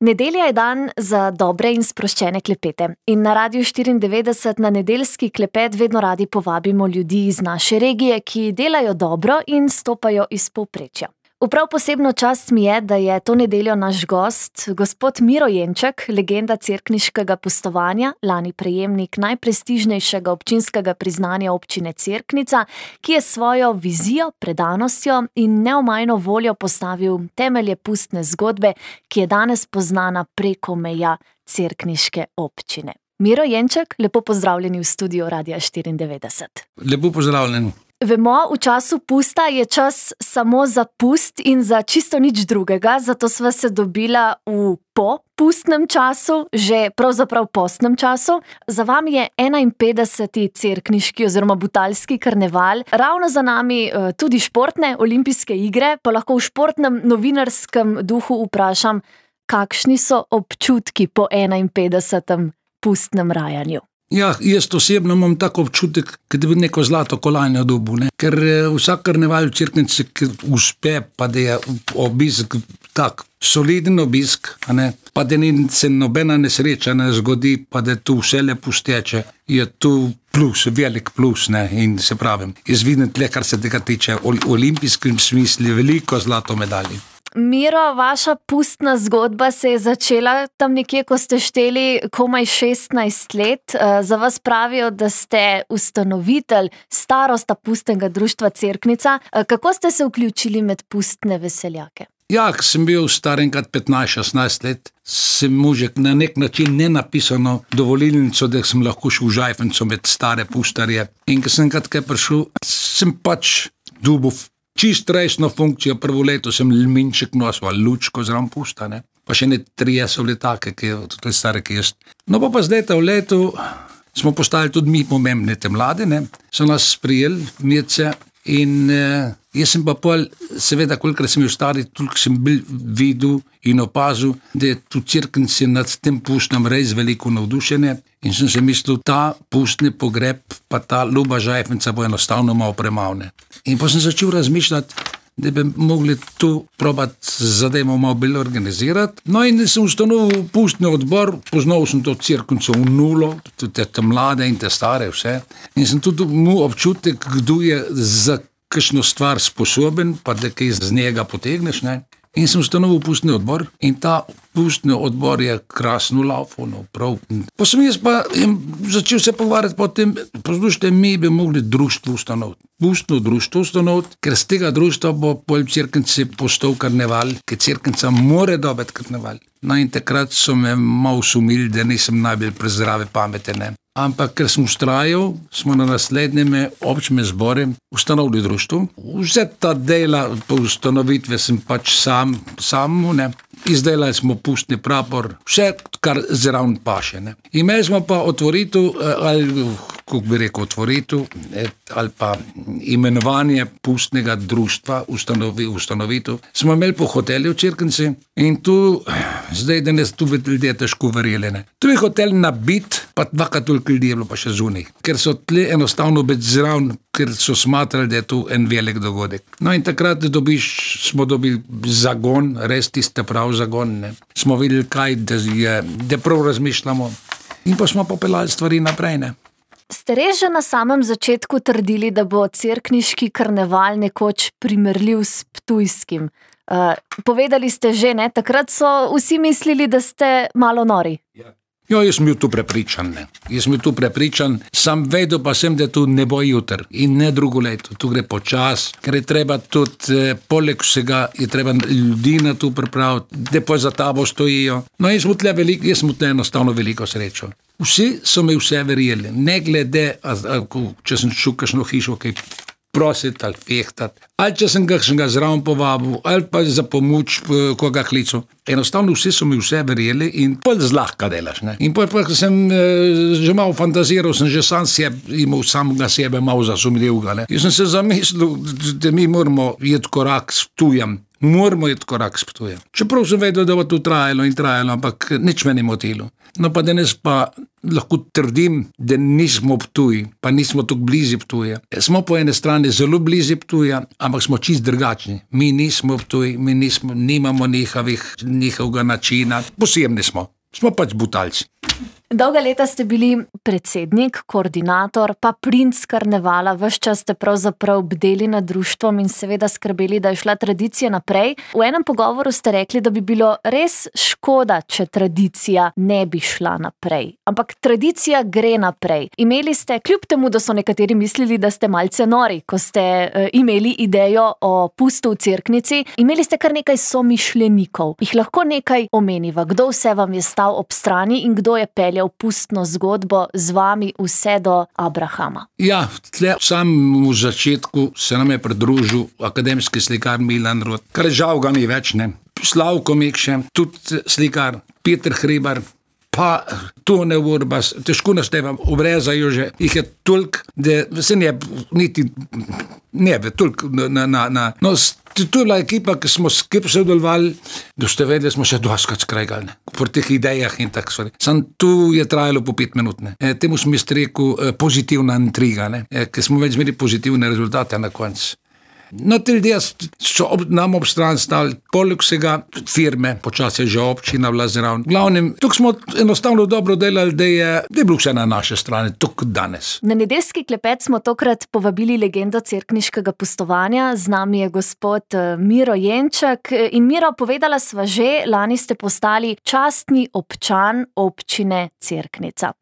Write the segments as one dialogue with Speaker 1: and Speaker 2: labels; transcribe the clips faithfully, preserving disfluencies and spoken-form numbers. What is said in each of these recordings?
Speaker 1: Nedelja je dan za dobre in sproščene klepete. In na Radiu štiriindevetdeset na nedeljski klepet vedno radi povabimo ljudi iz naše regije, ki delajo dobro in stopajo iz povprečja. V prav posebno čast mi je, da je to nedeljo naš gost, gospod Miro Jenček, legenda cerkniškega pustovanja, lani prejemnik najprestižnejšega občinskega priznanja občine Cerknica, ki je svojo vizijo, predanostjo in neomajno voljo postavil temelje pustne zgodbe, ki je danes poznana preko meja cerkniške občine. Miro Jenček, lepo pozdravljeni v studiu Radia štiriindevetdeset.
Speaker 2: Lepo pozdravljeni.
Speaker 1: Vemo, v času pusta je čas samo za pust in za čisto nič drugega, zato sva se dobila v po pustnem času, že pravzaprav postnem času. Za vami je enainpetdeseti cerkniški oziroma butalski karneval, ravno za nami tudi športne olimpijske igre, pa lahko v športnem novinarskem duhu vprašam, kakšni so občutki po enainpetdesetem pustnem rajanju?
Speaker 2: Ja, jaz osebno imam tako občutek, da bi neko zlato kolajno dobil, ne? Ker vsak karneval v Cerknici uspe, pa da je obisk tak soliden obisk, a ne? Pa da ni se nobena nesreča ne zgodi, pa da tu vse lepo steče, je tu plus, velik plus, ne? In se pravim, jaz vidim tle, kar se tega tiče, v olimpijskem smislu veliko zlato medalje.
Speaker 1: Miro, vaša pustna zgodba se je začela tam nekje, ko ste šteli komaj šestnajst let. Za vas pravijo, da ste ustanovitelj starosta pustnega društva Cerknica. Kako ste se vključili med pustne veseljake?
Speaker 2: Ja, ko sem bil star enkrat petnajst šestnajst let, sem možek na nek način nenapisano dovolilnico, da sem lahko šel v Žajfenco med stare pustarje. In ko sem enkrat kaj prišel, sem pač dobil čist resno funkcijo. Prvo leto sem lminček nosil, ali lučko zraven pusta, ne. Pa še ne trije so bili take, ki je tudi stare, ki jaz. No pa pa zdaj ta v letu smo postali tudi mi pomembne te mlade, ne. So nas sprijeli, mirce, in eh, jaz sem pa pol, seveda, kolikrat sem bil stari, toliko sem bil videl in opazil, da je tu Cerknici nad tem pustnem res veliko navdušenje. In sem se mislil, ta pustni pogreb, pa ta ljuba Žajfenca bo enostavno malo premavne. In pa sem začel razmišljati, da bi mogli tu probati zadevo malo bolj organizirati. No in sem ustanovil pustni odbor, poznal sem to Cerknico v nulo, tudi te mlade in te stare vse. In sem tudi imel občutek, kdo je za kakšno stvar sposoben, pa da kaj z njega potegneš, ne. In sem ustanovil pustni odbor in ta pustni odbor je krasno laufal, no, prav. Pa sem jaz pa začel se pogovarjati potem, poslušajte, mi bi mogli društvo ustanoviti. Pustno društvo ustanoviti, ker z tega društva bo pol Cerknici postal karneval, ker Cerknica more dobiti karneval. No in takrat so me malo sumili, da nisem najbolj prezdrave pamete, ne. Ampak ker sem ustrajal, smo na naslednjem občnem zboru ustanovili društvo. Vse ta dela po ustanovitve sem pač sam, sam, ne. Izdelali smo pustni prapor, vse, kar zraven paše, ne. Imeli smo pa otvoritev, ali kako bi rekel, otvoritev, ali pa imenovanje pustnega društva, ustanovi, ustanovitev. Smo imeli po hotelju v Cerknici in tu, zdaj danes tu bi ljudje težko verjeli, ne. Tu je hotel nabit, pa dvakrat toliko ljudi je bilo pa še zunaj, ker so tle enostavno biti zraven, ker so smatrali, da je tu en velik dogodek. No in takrat dobiš, smo dobili zagon, res tiste prav zagon, ne. Smo videli kaj, da je, da prav razmišljamo in pa smo popeljali stvari naprej, ne.
Speaker 1: Ste res že na samem začetku trdili, da bo cerkniški karneval nekoč primerljiv s ptujskim? Uh, povedali ste že, ne, takrat so vsi mislili, da ste malo nori.
Speaker 2: Ja. Jo, jaz sem bil tu prepričan, ne. Jaz sem bil tu prepričan, sam vedel pa sem, da tu ne bo jutr in ne drugo leto. Tu gre počas, ker je treba tudi, eh, poleg vsega, je treba ljudi na tu pripraviti, da pa za tabo stojijo. No, jaz sem tle veliko, jaz sem tle enostavno veliko srečo. Vsi so mi vse verjeli, ne glede, a, a, če sem šel kakšno hišo, kaj prositi ali fehtati, ali če sem ga, sem ga zraven povabil, ali pa za pomoč koga klical. Enostavno vsi so mi vse verjeli in pol zlahka delaš, ne. In pol, pol sem eh, že malo fantaziral, sem že sam sebe, imel samega sebe malo zasumljivega, ne. Jaz sem se zamislil, da mi moramo iti korak s tujem, Moramo iti korak s Ptujem. Čeprav sem vedel, da bo to trajalo in trajalo, ampak nič me ni motilo. No pa danes pa lahko trdim, da nismo Ptuj, pa nismo tako blizu Ptuja. Smo po ene strani zelo blizu Ptuja, ampak smo čist drugačni. Mi nismo Ptuj, mi nismo, nimamo njihovih, njihovega načina. Posebni smo. Smo pač Butalci.
Speaker 1: Dolga leta ste bili predsednik, koordinator, pa princ karnevala, ves čas ste pravzaprav bdeli nad društvom in seveda skrbeli, da je šla tradicija naprej. V enem pogovoru ste rekli, da bi bilo res škoda, če tradicija ne bi šla naprej. Ampak tradicija gre naprej. Imeli ste, kljub temu, da so nekateri mislili, da ste malce nori, ko ste uh, imeli idejo o pustu v Cerknici, imeli ste kar nekaj somišljenikov. Jih lahko nekaj omeniva, kdo vse vam je stal ob strani in kdo je peljal v pustno zgodbo z vami vse do Abrahama.
Speaker 2: Ja, tle v samem začetku se nam je pridružil akademski slikar Milan Rot, kar žal ga ni več, ne. Slavko Mikše, tudi slikar Peter Hribar, pa Tone Urbas, težko naštevam, obrezajo že, jih je toliko, da se ne, niti ne bi, toliko na, na, na, no, to je bila ekipa, ki smo skupaj sodelovali, da ste vedeli, smo še dvaskrat skregali, po teh idejah in tako stvari. Sam tu je trajalo po pet minut, ne. E, temu smo jaz rekel e, pozitivna intriga, ne, e, ker smo več imeli pozitivne rezultate na koncu. No, te ljudje so ob, nam ob stran stali, poleg vsega firme, počasi je že občina bila zraven. Glavnem, tukaj smo enostavno dobro delali, da je, da je bilo vse na naše strani, tukaj danes.
Speaker 1: Na nedeljski klepet smo tokrat povabili legendo cerkniškega pustovanja, z nami je gospod Miro Jenčak. In Miro, povedala sva že, lani ste postali častni občan občine Cerknica.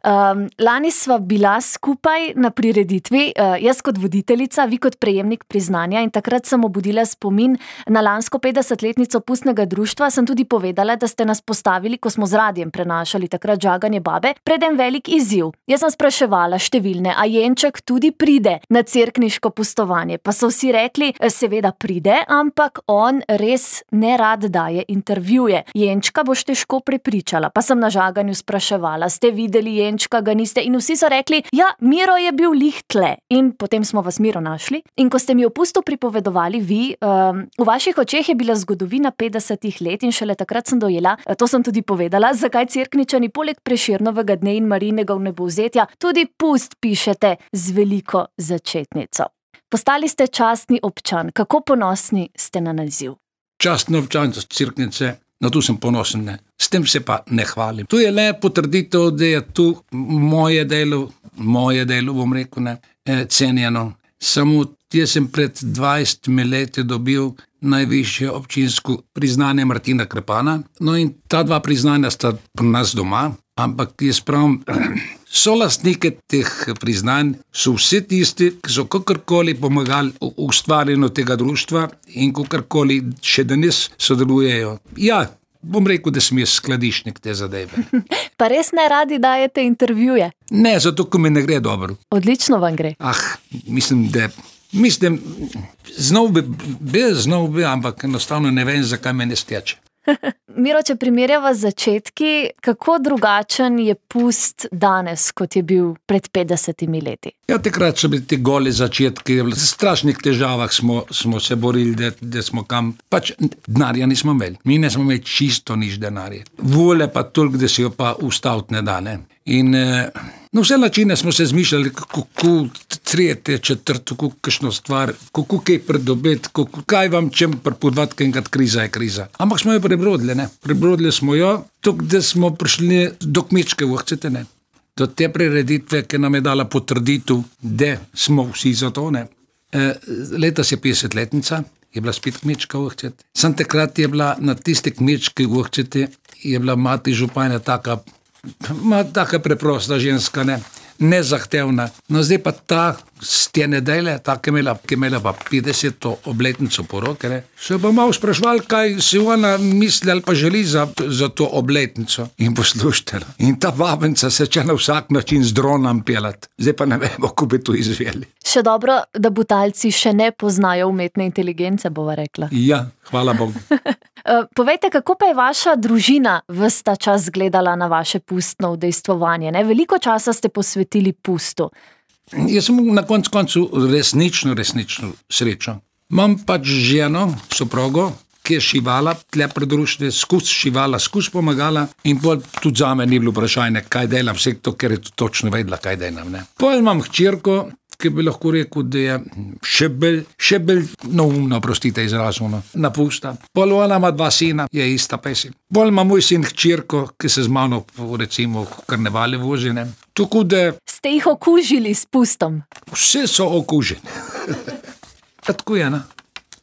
Speaker 1: Um, lani sva bila skupaj na prireditvi, uh, jaz kot voditeljica, vi kot prejemnik priznanja. In takrat sem obudila spomin na lansko petdesetletnico pustnega društva, sem tudi povedala, da ste nas postavili, ko smo z radijem prenašali takrat Žaganje babe, pred en velik izziv. Jaz sem spraševala številne, a Jenčak tudi pride na cerkniško pustovanje, pa so vsi rekli, seveda pride, ampak on res ne rad daje intervjuje. Jenčka boš težko prepričala, pa sem na Žaganju spraševala, ste videli Jenčka, ga niste, in vsi so rekli, ja, Miro je bil lih tle. In potem smo vas Miro našli, in ko ste mi opustili to pripovedovali vi, um, v vaših očeh je bila zgodovina petdesetih let in šele takrat sem dojela, to sem tudi povedala, zakaj Cerkničani poleg Prešernovega dne in Marijinega vnebovzetja tudi pust pišete z veliko začetnico. Postali ste častni občan, kako ponosni ste na naziv?
Speaker 2: Častni občan Cerknice, na to sem ponosen, ne. S tem se pa ne hvalim. Tu je le potrditev, da je tu moje delo, moje delo, bom rekel, ne, cenjeno. Samo jaz sem pred dvajsetimi leti dobil najvišje občinsko priznanje Martina Krpana. No in ta dva priznanja sta pri nas doma, ampak jaz pravim, solastnike teh priznanj so vsi tisti, ki so kakorkoli pomagali v ustvarjanju tega društva in kakorkoli še danes sodelujejo. Ja, bom rekel, da sem jaz skladišnik te zadeve.
Speaker 1: Pa res ne radi dajete intervjuje?
Speaker 2: Ne, zato, ko mi ne gre dobro.
Speaker 1: Odlično vam gre.
Speaker 2: Ah, mislim, da mislim, znov bi, bi znov bi, ampak enostavno ne vem, zakaj me ne steče.
Speaker 1: Miro, če primerjava z začetki, kako drugačen je pust danes, kot je bil pred petdesetimi leti?
Speaker 2: Ja, takrat so bili ti goli začetki, v strašnih težavah smo, smo se borili, da, da smo kam, pač denarja nismo imeli. Mi ne smo imeli čisto nič denarja. Vole pa toliko, da si jo pa ustaviti ne da, ne. In na vse načine smo se zmišljali, kako tretje, četrto, kako kakšno stvar, kako kaj pridobiti, kako, kaj vam čem pripodvati, kaj enkrat kriza je kriza. Ampak smo jo prebrodili, ne. Prebrodili smo jo, tako da smo prišli do Kmečke Vrhcete, ne. Do te prireditve, ki nam je dala potrditev, da smo vsi za to, ne. E, letos je petdesetletnica, je bila spet Kmečka Vrhcete. Sam takrat je bila na tiste Kmečke Vrhcete, je bila mati županja taka, ma taka preprosta ženska, ne, nezahtevna. No zdaj pa ta z te nedelje, ta, ki je imela, ki je imela pa petdeseto obletnico poroke, ne, se pa malo sprašvali, kaj si ona misli ali pa želi za, za to obletnico. In poslušajte, in ta vabenca se če na vsak način z dronom pelati. Zdaj pa ne vemo, kako bi to izveli.
Speaker 1: Še dobro, da Butalci še ne poznajo umetne inteligence, bova rekla.
Speaker 2: Ja, hvala Bogu.
Speaker 1: Povejte, kako pa je vaša družina ves ta čas gledala na vaše pustno udejstvovanje, ne? Veliko časa ste posvetili pustu.
Speaker 2: Jaz sem na koncu koncu resnično, resnično srečo. Imam pač ženo, soprogo, ki je šivala, tle pred društve, skus šivala, skus pomagala in pol tudi zame ni bilo vprašanje, kaj delam, vse to, ker je točno vedela, kaj delam. Ne. Pol imam hčerko, ki bi lahko rekel, da je še bolj, še bolj neumno, prostite izrazno, napusta. Pol ona ima dva sina, je ista pesem. Pol ima moj sin hčerko, ki se z mano recimo v karnevale vozi. Ne. Tako da...
Speaker 1: Ste jih okužili s pustom?
Speaker 2: Vse so okuženi. Tako je, ne?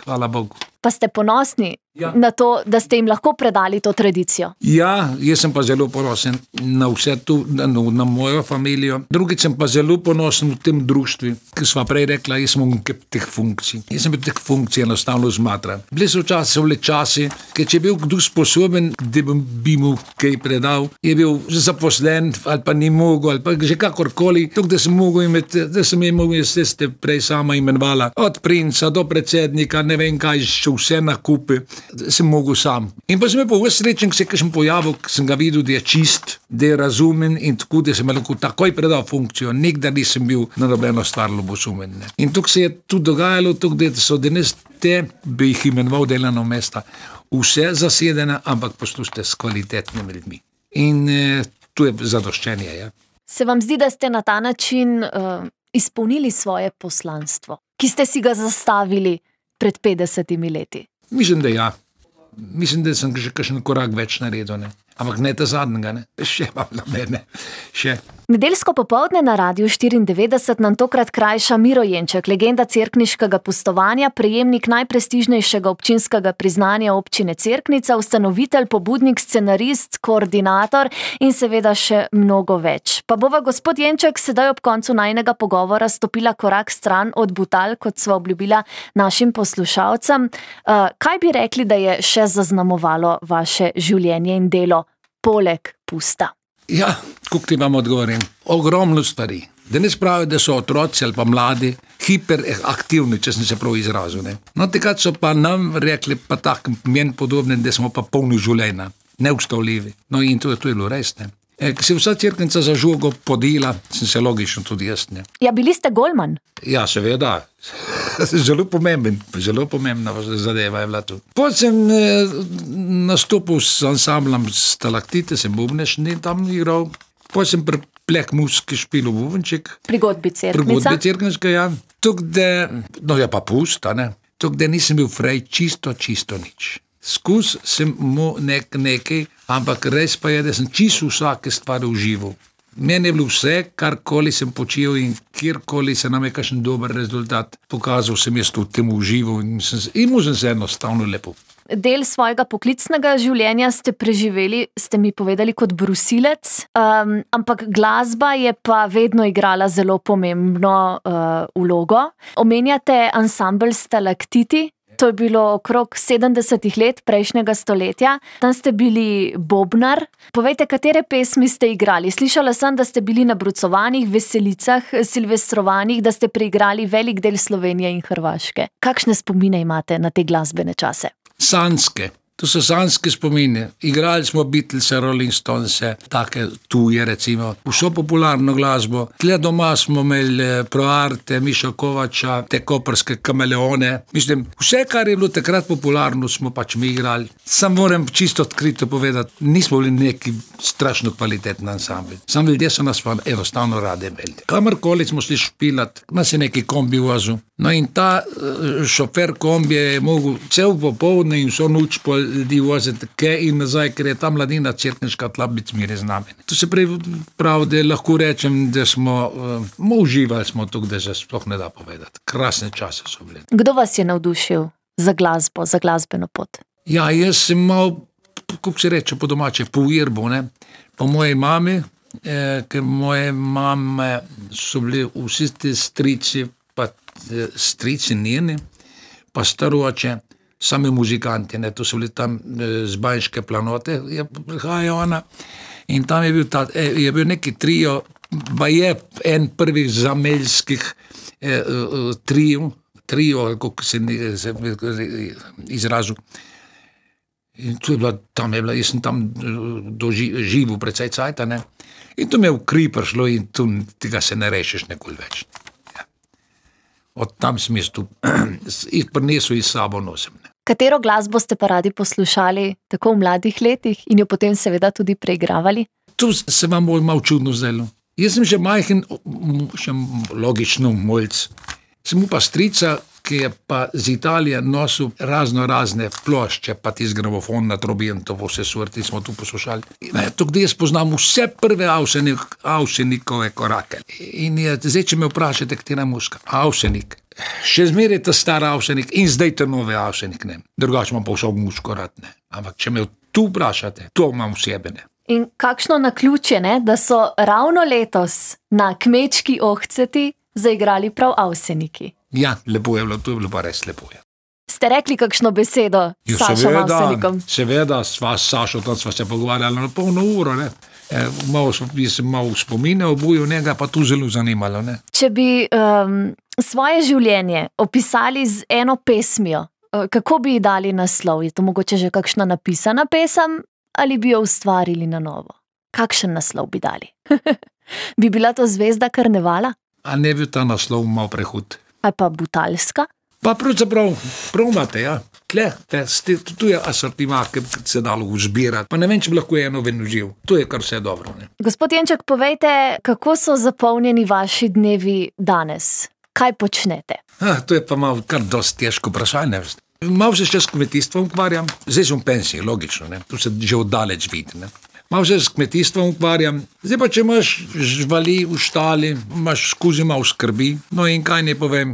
Speaker 2: Hvala Bogu.
Speaker 1: Pa ste ponosni ja. na to, da ste jim lahko predali to tradicijo?
Speaker 2: Ja, jaz sem pa zelo ponosen na vse to, na, na mojo familijo. Drugič sem pa zelo ponosen v tem društvu, ki sva prej rekla, jaz sem v teh funkcij. Jaz sem v teh funkcij enostavno zmatran. Bili so včasih vle časi, ker če je bil kdo sposoben, da bi mu kaj predal, je bil zaposlen ali pa ni mogel, ali pa že kakorkoli, tuk, da sem mogel imeti, da sem imel, jaz ste prej sama imenovala, od princa do predsednika, ne vem kaj, vse nakupe, sem mogel sam. In pa sem je pa vse srečen, ki se kakšen pojavil, ki sem ga videl, da je čist, da je razumen in tako, da sem lahko takoj predal funkcijo. Nikdar nisem bil na nobeno stvar ljubosumen. Ne. In tukaj se je tudi dogajalo, tukaj, da so danes te, bi jih imenoval delovna mesta, vse zasedene, ampak poslušajte s kvalitetnimi ljudmi. In eh, tu je zadoščenje. Ja.
Speaker 1: Se vam zdi, da ste na ta način uh, izpolnili svoje poslanstvo, ki ste si ga zastavili pred petdesetimi leti?
Speaker 2: Mislim, da ja. Mislim, da sem že kakšen korak več naredil, ne. Ampak ne ta zadnjega, ne. Še pa na mene. Še.
Speaker 1: Nedeljsko popoldne na Radiu štiriindevetdeset nam tokrat krajša Miro Jenček, legenda cerkniškega pustovanja, prejemnik najprestižnejšega občinskega priznanja občine Cerknica, ustanovitelj, pobudnik, scenarist, koordinator in seveda še mnogo več. Pa bova gospod Jenček sedaj ob koncu najinega pogovora stopila korak stran od butal, kot sva obljubila našim poslušalcem. Uh, kaj bi rekli, da je še zaznamovalo vaše življenje in delo poleg pusta?
Speaker 2: Ja, kako ti vam odgovorim? Ogromno stvari. Danes pravijo, da so otroci ali pa mladi hiperaktivni, če sem se prav izrazil. Ne? No, takrat so pa nam rekli pa tak meni podobne, da smo pa polni življenja, neustavljivi. No in to, to je bilo res, ne. E, ko se vsa Cerknica za žogo podela, sem se logično tudi jaz, ne.
Speaker 1: Ja, bili ste golman?
Speaker 2: Ja, seveda. Zelo pomemben, zelo pomembna zadeva je bila tu. Potem sem eh, nastopil s ansamblom Stalaktite, sem bubnež in tam igral. Potem sem pri Pleh muski špilil bubenček.
Speaker 1: Pri godbi Cerknica?
Speaker 2: Pri godbi Cerkniška, ja. Tuk, da, no ja pa pusta, ne. Tuk, da nisem bil frej čisto, čisto nič. Skus sem mu nek, nekaj, ampak res pa je, da sem čisto vsake stvari užival. Meni je bilo vse, karkoli sem počel in kjerkoli se nam je kakšen dober rezultat pokazal, sem jaz v tem užival in sem, in sem se enostavno lepo.
Speaker 1: Del svojega poklicnega življenja ste preživeli, ste mi povedali, kot brusilec, um, ampak glasba je pa vedno igrala zelo pomembno uh, vlogo. Omenjate ansambel Stalaktiti. To je bilo okrog sedemdesetih let prejšnjega stoletja. Tam ste bili bobnar. Povejte, katere pesmi ste igrali? Slišala sem, da ste bili na brucovanjih, veselicah, silvestrovanjih, da ste preigrali velik del Slovenije in Hrvaške. Kakšne spomine imate na te glasbene čase?
Speaker 2: Sanske. To so sanske spomine. Igrali smo Beatlese, Rolling Stonese, take tuje recimo. Vso popularno glasbo. Tle doma smo imeli Proarte, Mišo Kovača, te koprske Kameleone. Mislim, vse, kar je bilo takrat popularno, smo pač mi igrali. Sam moram čisto odkrito povedati, nismo bili neki strašno kvalitetni ansambl. Sam ljudje so nas pa enostavno rade imeli. Kamorkoli smo šli špilat, nas je neki kombi vozil. No in ta šofer kombije je mogel cel popoldne in vso noč po ljudi voziti kaj in nazaj, ker je ta mladina cerkniška tla biti zmeraj z nami. To se pravi, da lahko rečem, da smo uh, uživali smo tukaj, da se sploh ne da povedati. Krasne čase so bili.
Speaker 1: Kdo vas je navdušil za glasbo, za glasbeno pot?
Speaker 2: Ja, jaz sem mal, kako se reče po domače, po irbu, ne, po moji mami, eh, ker moje mame so bili vsi ti strici, pa strici njeni, pa staroče, sami muzikanti, ne, to so bili tam z Banjške planote, je prihaja ona in tam je bil, ta, je bil neki trio, pa je en prvih zameljskih eh, trio, trio, kako se, se izrazil. In to je bila, tam je bila, jaz sem tam doživel precej cajta, ne, in to me v kri prišlo in tu tega se ne rešiš nekoli več. Od tam sem jaz tu jih prinesel iz sabo nosim. Ne.
Speaker 1: Katero glasbo ste pa radi poslušali tako v mladih letih in jo potem seveda tudi preigravali?
Speaker 2: Tu se vam bolj malo čudno zdelo. Jaz sem že majhen, še logično moljc. Sem mu pa strica, ki je pa z Italije nosil razno razne plošče, pa tisti gramofon na trobi in to vse surti smo tu poslušali. To, gdje jaz poznam vse prve Avsenik, Avsenikove korake. In je, zdaj, če me vprašate, katera muska, Avsenik. Še zmeraj ta stara Avsenik in zdaj ta nove Avsenik, ne. Drugače imam pa vso muško rad, ne. Ampak če me tu vprašate, to imam v sebi, ne.
Speaker 1: In kakšno naključje, ne, da so ravno letos na Kmečki ohceti zaigrali prav Avseniki.
Speaker 2: Ja, lepo je bilo, to je bilo pa res lepo. Je.
Speaker 1: Ste rekli kakšno besedo s Sašom Avsenikom?
Speaker 2: Seveda, sva s Sašo, tam sva se pogovarjali na polno uro, ne. E, malo sem malo spomine obujil njega, pa tu zelo zanimalo, ne.
Speaker 1: Če bi um, svoje življenje opisali z eno pesmijo, kako bi ji dali naslov? Je to mogoče že kakšna napisana pesem ali bi jo ustvarili na novo? Kakšen naslov bi dali? Bi bila to Zvezda karnevala?
Speaker 2: A ne bi ta naslov mal prehud.
Speaker 1: Ali pa Butalska?
Speaker 2: Pa pravzaprav, prav imate, ja. Tle, te, ste, tu je asortima, ki se dalo uzbirati. Pa ne vem, če bi lahko eno ven uživ. To je kar vse dobro, ne.
Speaker 1: Gospod Jenček, povejte, kako so zapolnjeni vaši dnevi danes? Kaj počnete?
Speaker 2: Ah, to je pa malo kar dosti težko vprašanje. Malo se še s kmetijstvom ukvarjam. Zdaj sem v pensiji, logično, ne. Tu se že oddaleč vidi, ne. Malo se s kmetijstvom ukvarjam. Zdaj pa, če imaš živali v štali, imaš skozi malo skrbi. No in kaj ne povem,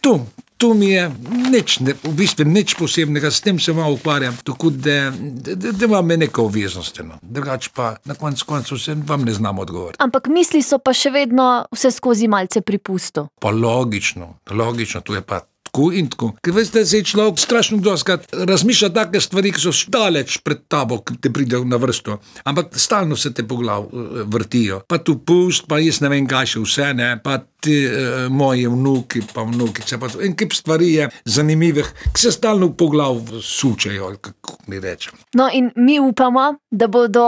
Speaker 2: tu, tu mi je nič, ne, v bistvu nič posebnega, s tem se malo ukvarjam, tako da, da, da, da imam neko obveznost. No. Drugač pa na koncu koncu se vam ne znam odgovoriti.
Speaker 1: Ampak misli so pa še vedno vse skozi malce pri pustu.
Speaker 2: Pa logično, logično, tu je pa tako in tako. Ker veste, se je človek strašno doskrat razmišlja take stvari, ki so daleč pred tabo, ki te pridejo na vrsto. Ampak stalno se te po glav vrtijo. Pa tu pust, pa jaz ne vem kaj še vse, ne, pa ti eh, moji vnuki, pa vnukice, pa en kip stvari je zanimivih, ki se stalno po glav sučejo, kako mi rečem.
Speaker 1: No in mi upamo, da bodo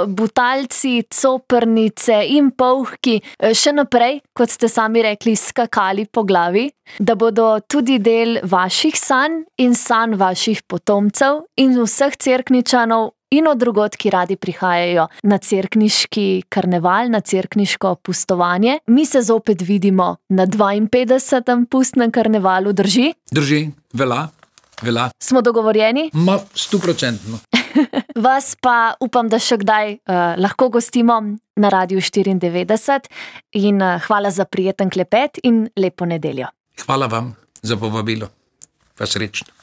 Speaker 1: Butalci, Coprnice in Polhki še naprej, kot ste sami rekli, skakali po glavi, da bodo tudi del vaših sanj in sanj vaših potomcev in vseh Cerkničanov in od drugod, ki radi prihajajo na cerkniški karneval, na cerkniško pustovanje. Mi se zopet vidimo na dvainpetdesetem pustnem karnevalu, drži?
Speaker 2: Drži, vela, vela.
Speaker 1: Smo dogovorjeni?
Speaker 2: Ma, stoprocentno.
Speaker 1: Vas pa upam, da še kdaj uh, lahko gostimo na Radiu štiriindevetdeset in uh, hvala za prijeten klepet in lepo nedeljo.
Speaker 2: Hvala vam za povabilo. Pa srečno.